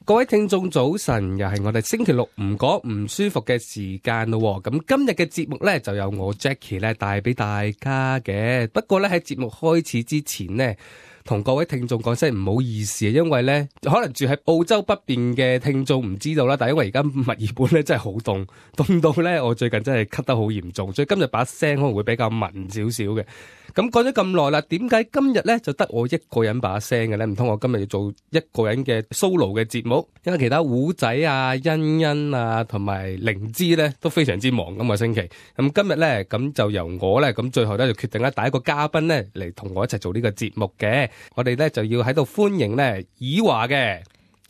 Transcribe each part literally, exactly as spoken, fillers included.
各位聽眾早晨，又係我哋星期六唔講唔舒服嘅時間咯。咁今日嘅節目呢，就由我 Jackie 咧帶俾大家嘅。不過呢，喺節目開始之前呢，同各位聽眾講聲唔好意思，因為咧可能住喺澳洲北邊嘅聽眾唔知道啦，但係因為而家墨爾本咧真係好凍，凍到咧我最近真係咳得好嚴重，所以今日把聲可能會比較文少少嘅。咁講咗咁耐啦，點解今日咧就得我一個人把聲嘅咧？唔通我今日要做一個人嘅 solo 嘅節目？因為其他胡仔啊、欣欣啊同埋靈芝咧都非常之忙今個星期。咁今日咧咁就由我咧咁最後咧就決定咧帶一個嘉賓咧嚟同我一齊做呢個節目嘅。我哋咧就要喺度歡迎咧以華嘅。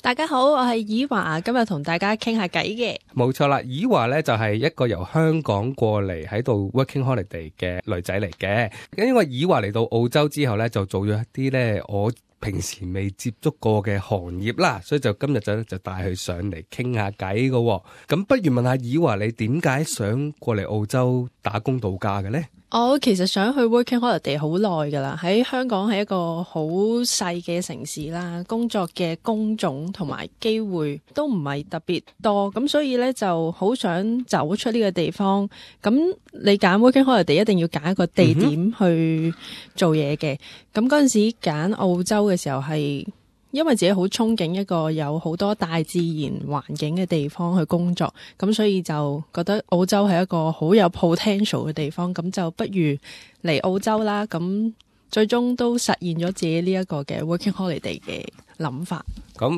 大家好，我係以華，今日同大家傾下偈嘅。冇錯啦，以華咧就係一個由香港過嚟喺度 working holiday 嘅女仔嚟嘅。因為以華嚟到澳洲之後咧，就做咗一啲咧我平時未接觸過嘅行業啦，所以就今日就就帶佢上嚟傾下偈嘅。咁不如問下以華，你點解想過嚟澳洲打工度假嘅咧？我其實想去 working holiday 好耐噶啦，喺香港係一個好細嘅城市啦，工作嘅工種同埋機會都唔係特別多，咁所以咧就好想走出呢個地方。咁你揀 working holiday 一定要揀一個地點去做嘢嘅。咁嗰陣時揀澳洲嘅時候係因為自己好憧憬一個有好多大自然環境嘅地方去工作，咁所以就覺得澳洲係一個好有 potential 嘅地方，咁就不如嚟澳洲啦。咁最終都實現咗自己呢一個嘅 working holiday 嘅諗法。咁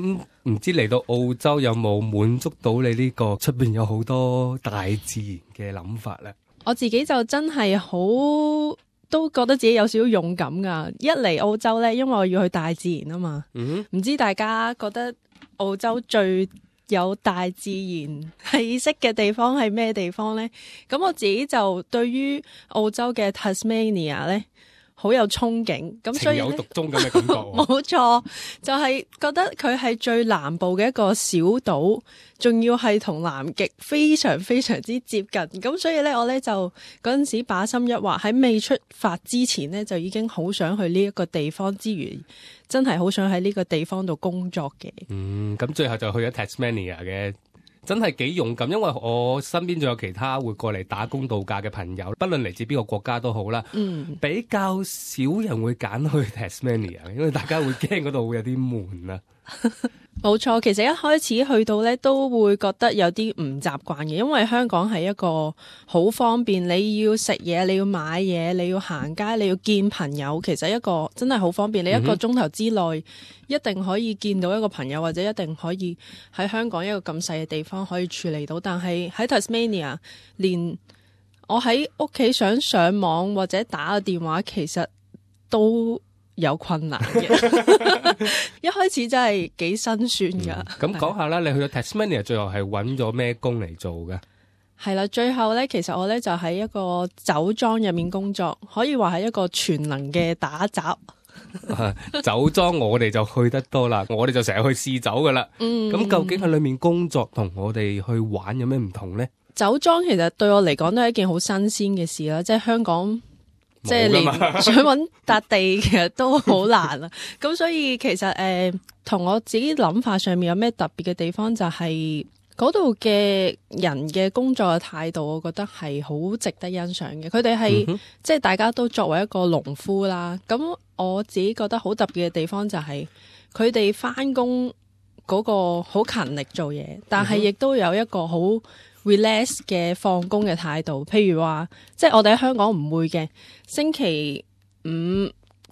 唔知嚟到澳洲有冇滿足到你呢個出邊有好多大自然嘅諗法呢？我自己就真係好都覺得自己有少少勇敢噶，一嚟澳洲呢，因為我要去大自然啊嘛。唔、嗯、知大家覺得澳洲最有大自然氣息嘅地方係咩地方呢？咁我自己就對於澳洲嘅 Tasmania 呢，好有憧憬，咁所以情有獨鍾咁嘅感覺。冇錯，就係、是、覺得佢係最南部嘅一個小島，仲要係同南極非常非常之接近。咁所以咧，我咧就嗰陣時把心一劃，喺未出發之前呢，就已經好想去呢一個地方之餘，真係好想喺呢個地方度工作嘅。嗯，咁最後就去咗 Tasmania 嘅。真係幾勇敢，因為我身邊仲有其他會過嚟打工度假嘅朋友，不論嚟自邊個國家都好啦。嗯，比較少人會揀去 Tasmania， 因為大家會驚嗰度會有啲悶啊。冇錯，其實一開始去到呢都會覺得有啲唔習慣嘅，因為香港係一個好方便，你要食嘢，你要買嘢，你要行街，你要見朋友，其實一個真係好方便。你一個鐘頭之內一定可以見到一個朋友，或者一定可以喺香港一個咁細嘅地方可以處理到。但係喺 Tasmania， 連我喺屋企想上網或者打個電話，其實都有困難嘅。一開始真係幾辛酸噶。咁講下啦，你去到 Tasmania 最後係揾咗咩工嚟做嘅？係啦，最後咧，其實我咧就喺一個酒莊入面工作，可以話係一個全能嘅打雜。酒莊我哋就去得多啦，我哋就成日去試酒噶啦。嗯，咁究竟喺裏面工作同我哋去玩有咩唔同呢？酒莊其實對我嚟講都係一件好新鮮嘅事啦，即係香港。即係連想搵笪地其實都好難啊！咁所以其實誒，同、呃、我自己諗法上面有咩特別嘅地方，就係嗰度嘅人嘅工作嘅態度，我覺得係好值得欣賞嘅。佢哋係即係大家都作為一個農夫啦。咁我自己覺得好特別嘅地方就係佢哋返工嗰個好勤力做嘢，但係亦都有一個好relax 嘅放工嘅態度，譬如話，即係我哋喺香港唔會嘅，星期五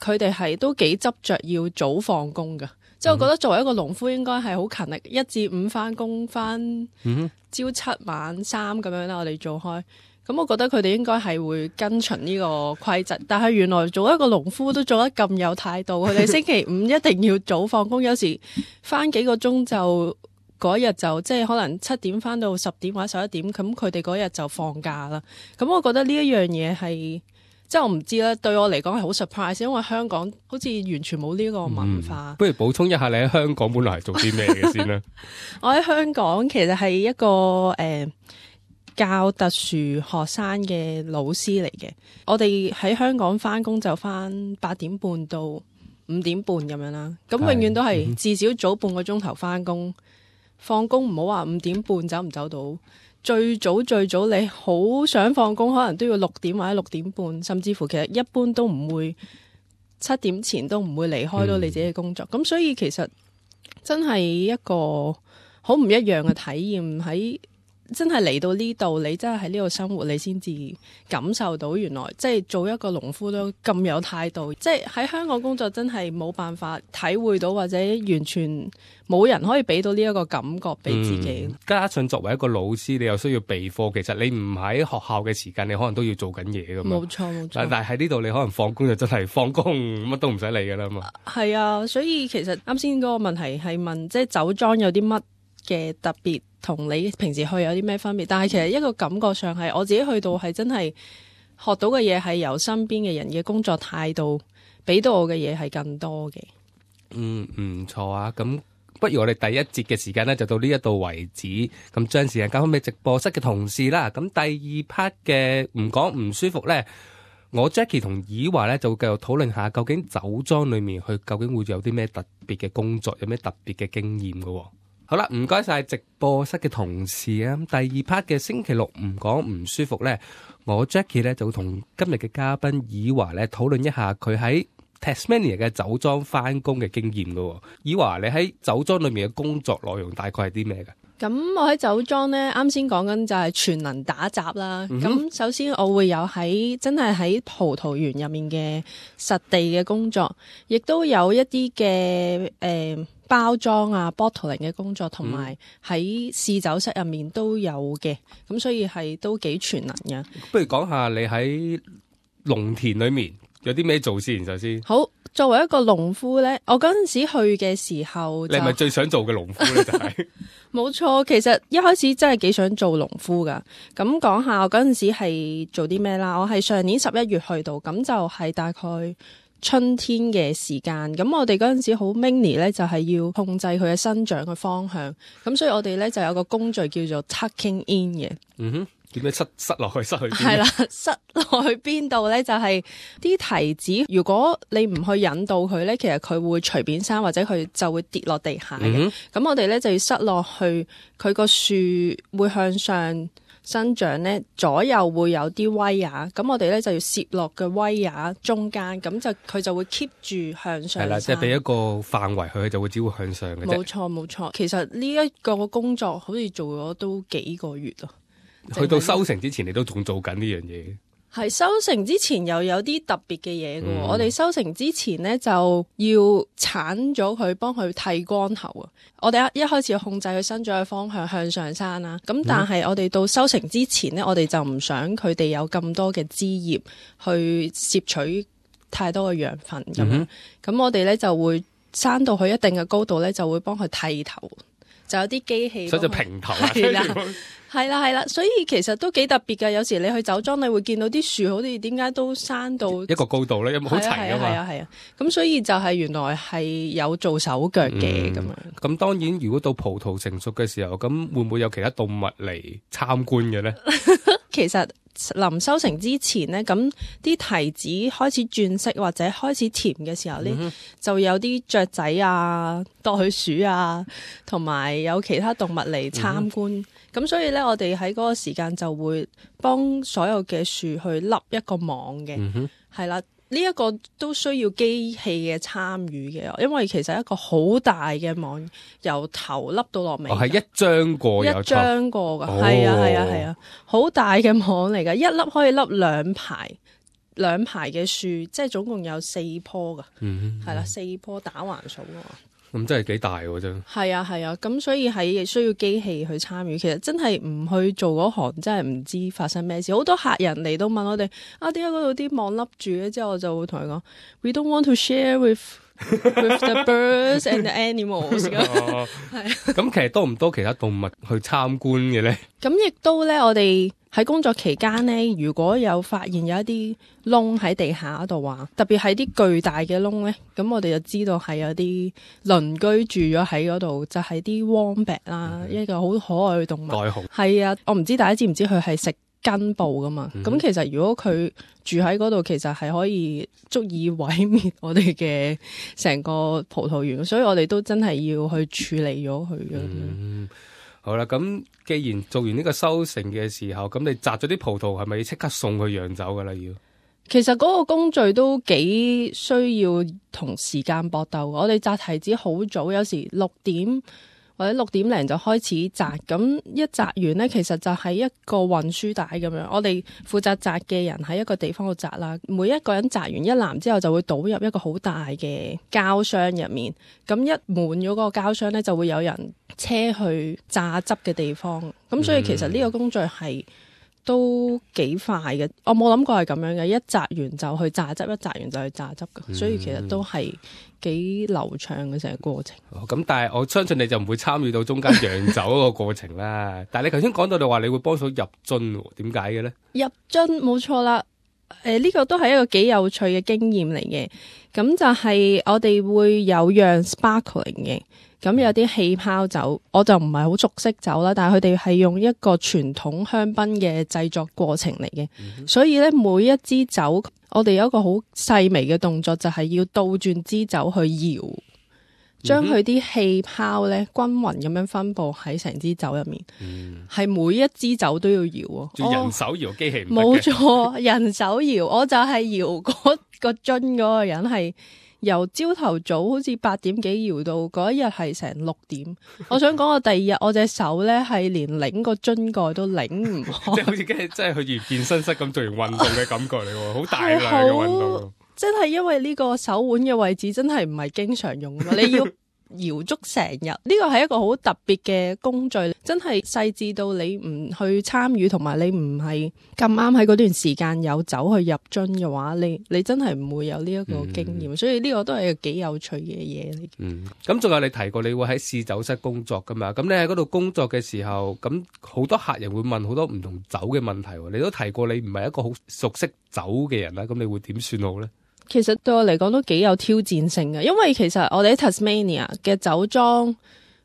佢哋係都幾執着要早放工噶。即係我覺得作為一個農夫應該係好勤力，一至五翻工翻朝七晚三咁樣啦，我哋做開。咁我覺得佢哋應該係會跟循呢個規則，但係原來做一個農夫都做得咁有態度，佢哋星期五一定要早放工，有時翻幾個鐘就。嗰日就即係可能七點返到十點或者十一點，咁佢哋嗰日就放假啦。咁我覺得呢一樣嘢係即係我唔知啦，對我嚟講係好 surprise， 因為香港好似完全冇呢個文化。嗯、不如補充一下你喺香港本來係做啲咩嘅先啦？我喺香港其實係一個誒、呃、教特殊學生嘅老師嚟嘅。我哋喺香港返工就返八點半到五點半咁樣啦。咁永遠都係至少早半個鐘頭翻工，放工唔好話五點半走唔走到。最早最早你好想放工，可能都要六點或者六點半，甚至乎其實一般都唔會七點前都唔會離開到你自己嘅工作。咁、嗯、所以其實真係一個好唔一樣嘅體驗，喺真係嚟到呢度，你真係喺呢度生活，你先至感受到原來即係做一個農夫都咁有態度。即係喺香港工作真係冇辦法體會到，或者完全冇人可以俾到呢一個感覺俾自己、嗯。加上作為一個老師，你又需要備課，其實你唔喺學校嘅時間，你可能都要做緊嘢噶嘛。冇錯冇錯。但係喺呢度你可能放工就真係放工，乜都唔使理噶啦嘛。係啊，所以其實啱先嗰個問題係問，即係酒莊有啲乜嘅特別，同你平時去有啲咩分別？但係其實一個感覺上係我自己去到係真係學到嘅嘢係由身邊嘅人嘅工作態度俾到我嘅嘢係更多嘅。嗯，唔錯啊！咁不如我哋第一節嘅時間呢就到呢一度為止，咁將時間交翻俾直播室嘅同事啦。咁第二 part 嘅唔講唔舒服呢，我 Jackie 同以華呢就會繼續討論下究竟酒莊裏面佢究竟會有啲咩特別嘅工作，有咩特別嘅經驗㗎喎。好啦，唔該晒直播室嘅同事啊！第二 part 嘅星期六唔講唔舒服呢，我 Jackie 呢就會同今日嘅嘉賓以華呢討論一下佢喺 Tasmania 嘅酒莊翻工嘅經驗噶。以華，你喺酒莊裏面嘅工作內容大概係啲咩噶？咁我喺酒莊呢，啱先講緊就係全能打雜啦。咁、嗯、首先我會有喺真係喺葡萄園入面嘅實地嘅工作，亦都有一啲嘅誒。呃包裝啊 bottling 嘅工作，同埋喺試酒室入面都有嘅，咁所以係都幾全能嘅。不如講下你喺農田裏面有啲咩做先，首先。好，作為一個農夫咧，我嗰陣時去嘅時候，你係咪最想做嘅農夫咧？就係冇錯，其實一開始真係幾想做農夫噶。咁講下我嗰陣時係做啲咩啦？我係上年十一月去到，咁就係大概春天嘅時間，咁我哋嗰陣時好 mini 咧，就係要控制佢嘅生長嘅方向，咁所以我哋咧就有個工序叫做 tucking in 嘅。嗯哼，點樣塞塞落去？塞去邊？係啦，塞落去邊度咧？就係、是、啲提子，如果你唔去引導佢咧，其實佢會隨便生，或者佢就會跌落地下嘅。咁、嗯、我哋咧就要塞落去，佢個樹會向上生長咧，左右會有啲威亞，咁我哋咧就要攝落嘅威亞中間，咁就佢就會 keep 住向上。係啦，即係俾一個範圍佢，佢就會只會向上嘅啫。冇錯冇錯，其實呢一個工作好似做咗都幾個月咯。去到收成之前，你都仲做緊呢樣嘢。係收成之前又有啲特別嘅嘢嘅，嗯、我哋收成之前呢，就要鏟咗佢，幫佢剃光頭啊！我哋一一開始要控制佢生長嘅方向向上生啦，咁但係我哋到收成之前呢，我哋就唔想佢哋有咁多嘅枝葉去攝取太多嘅養分咁樣，咁、嗯、我哋咧就會生到去一定嘅高度咧，就會幫佢剃頭，就有啲機器，所以就平頭啊。係啦係啦，所以其實都幾特別㗎。有時你去酒莊，你會見到啲樹好似點解都生到一個高度咧，有冇好齊啊嘛？係啊係啊，咁所以就係原來係有做手腳嘅咁樣。咁當然，如果到葡萄成熟嘅時候，咁會唔會有其他動物嚟參觀嘅咧？其實臨收成之前呢，咁啲提子開始轉色或者開始甜嘅時候呢，嗯、就有啲雀仔啊、袋鼠啊，同埋有，有其他動物嚟參觀。咁、嗯、所以咧，我哋喺嗰個時間就會幫所有嘅樹去笠一個網嘅，係、嗯、啦。呢、這、一個都需要機器嘅參與嘅，因為其實一個好大嘅網，由頭笠到落尾。哦，係一張過，一張過噶，係、哦、啊，係啊，係啊，好大嘅網嚟噶，一粒可以笠兩排，兩排嘅樹，即係總共有四棵噶，係、嗯、啦，四棵打橫數噶。咁真係幾大喎，真係啊係啊，咁所以係需要機器去參與。其實真係唔去做嗰行，真係唔知發生咩事。好多客人嚟都問我哋啊，點解嗰度啲網笠住咧？之後我就會同佢講 ，We don't want to share with with the birds and the animals。係啊，咁其實多唔多其他動物去參觀嘅咧？咁亦都咧，我哋喺工作期間咧，如果有發現有一啲窿喺地下嗰度話，特別係啲巨大嘅窿咧，咁我哋就知道係有啲鄰居住咗喺嗰度，就係啲 wombat 啦，一個好可愛嘅動物。袋熊係啊，我唔知大家知唔知佢係食根部噶嘛。咁、嗯、其實如果佢住喺嗰度，其實係可以足以毀滅我哋嘅成個葡萄園，所以我哋都真係要去處理咗佢嘅。嗯，好啦，咁既然做完呢個收成嘅時候，咁你摘咗啲葡萄係咪要即刻送去釀酒噶啦？要？其實嗰個工序都幾需要同時間搏鬥。我哋摘提子好早，有時六點或者六點零就開始摘，咁一摘完呢，其實就係一個運輸帶咁樣。我哋負責摘嘅人喺一個地方度摘啦，每一個人摘完一籃之後就會倒入一個好大嘅膠箱入面，咁一滿咗嗰個膠箱呢，就會有人車去榨汁嘅地方。咁所以其實呢個工序係都幾快嘅，我冇諗過係咁樣嘅，一摘完就去榨汁，一摘完就去榨汁嘅，嗯、所以其實都係幾流暢嘅成個過程。咁、哦、但係我相信你就唔會參與到中間釀酒嗰個過程啦。但係你頭先講到你話你會幫手入樽，點解嘅咧？入樽冇錯啦，誒、呃、呢、這個都係一個幾有趣嘅經驗嚟嘅。咁就係我哋會有釀 sparkling 嘅。咁有啲氣泡酒，我就唔係好熟悉酒啦，但係佢哋係用一個傳統香檳嘅製作過程嚟嘅，嗯、所以咧每一支酒，我哋有一個好細微嘅動作，就係要倒轉支酒去搖，將佢啲氣泡咧均勻咁樣分佈喺成支酒入面，係、嗯、每一支酒都要搖啊！人手搖機器唔得嘅，冇錯，人手搖，我就係搖嗰個樽嗰個人係。由朝頭早好似八點幾搖到嗰一日係成六點，我想講我第二日我隻手咧係連擰個樽蓋都擰唔開，即係好似真係去完健身室咁做完運動嘅感覺嚟喎，好大量嘅運動。真係因為呢個手腕嘅位置真係唔係經常用嘛，你要搖足成日，呢個係一個好特別嘅工序，真係細緻到你唔去參與，同埋你唔係咁啱喺嗰段時間有酒去入樽嘅話，你你真係唔會有呢一個經驗，嗯、所以呢個都係一個幾有趣嘅嘢嚟。嗯，咁仲有你提過你會喺試酒室工作噶嘛？咁你喺嗰度工作嘅時候，咁好多客人會問好多唔同酒嘅問題，你都提過你唔係一個好熟悉酒嘅人啦，咁你會點算好呢？其實對我嚟講都幾有挑戰性嘅，因為其實我哋喺 Tasmania 嘅酒莊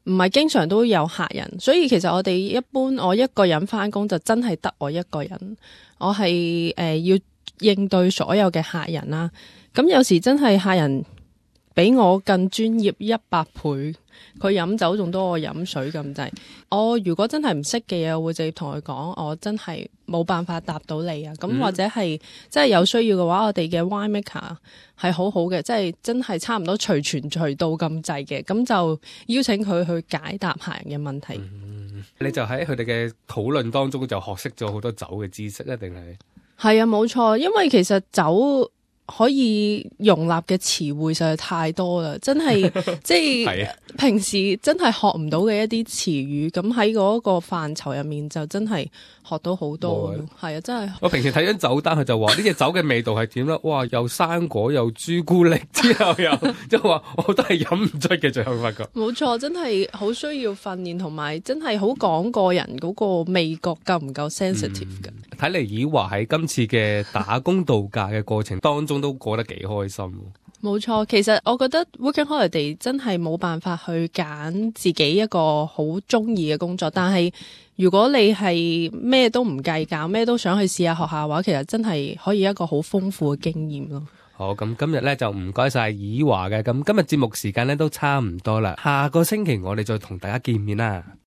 唔係經常都有客人，所以其實我哋一般我一個人返工就真係得我一個人，我係誒、呃、要應對所有嘅客人啦。咁有時真係客人比我更專業一百倍。佢飲酒仲多我飲水咁滯，我如果真係唔識嘅嘢，我會直接同佢講，我真係冇辦法答到你啊。咁、嗯、或者係真係有需要嘅話，我哋嘅 wine maker 係好好嘅，即係真係差唔多隨傳隨到咁滯嘅，咁就邀請佢去解答客人嘅問題。嗯、你就喺佢哋嘅討論當中就學識咗好多酒嘅知識啊？定係？係啊，冇錯，因為其實酒可以容納嘅詞彙實在太多啦，真係即係平時真係學唔到嘅一啲詞語，咁喺嗰個範疇入面就真係學到好多。係啊，真係。我平時睇緊酒單，佢就話呢隻酒嘅味道係點啦？哇，又生果又朱古力，之後又即係話我都係飲唔出嘅，最後發覺。冇錯，真係好需要訓練，同埋真係好講個人嗰個味覺夠唔夠 sensitive 嘅。睇嚟以華喺今次嘅打工度假嘅過程當中都過得幾開心。冇錯，其實我覺得 Working Holiday 真係冇辦法去揀自己一個好中意嘅工作，但係如果你係咩都唔計較，咩都想去試下學下嘅話，其實真係可以一個好豐富嘅經驗咯。好，咁今日咧就唔該晒以華嘅，咁今日節目時間咧都差唔多啦，下個星期我哋再同大家見面啦。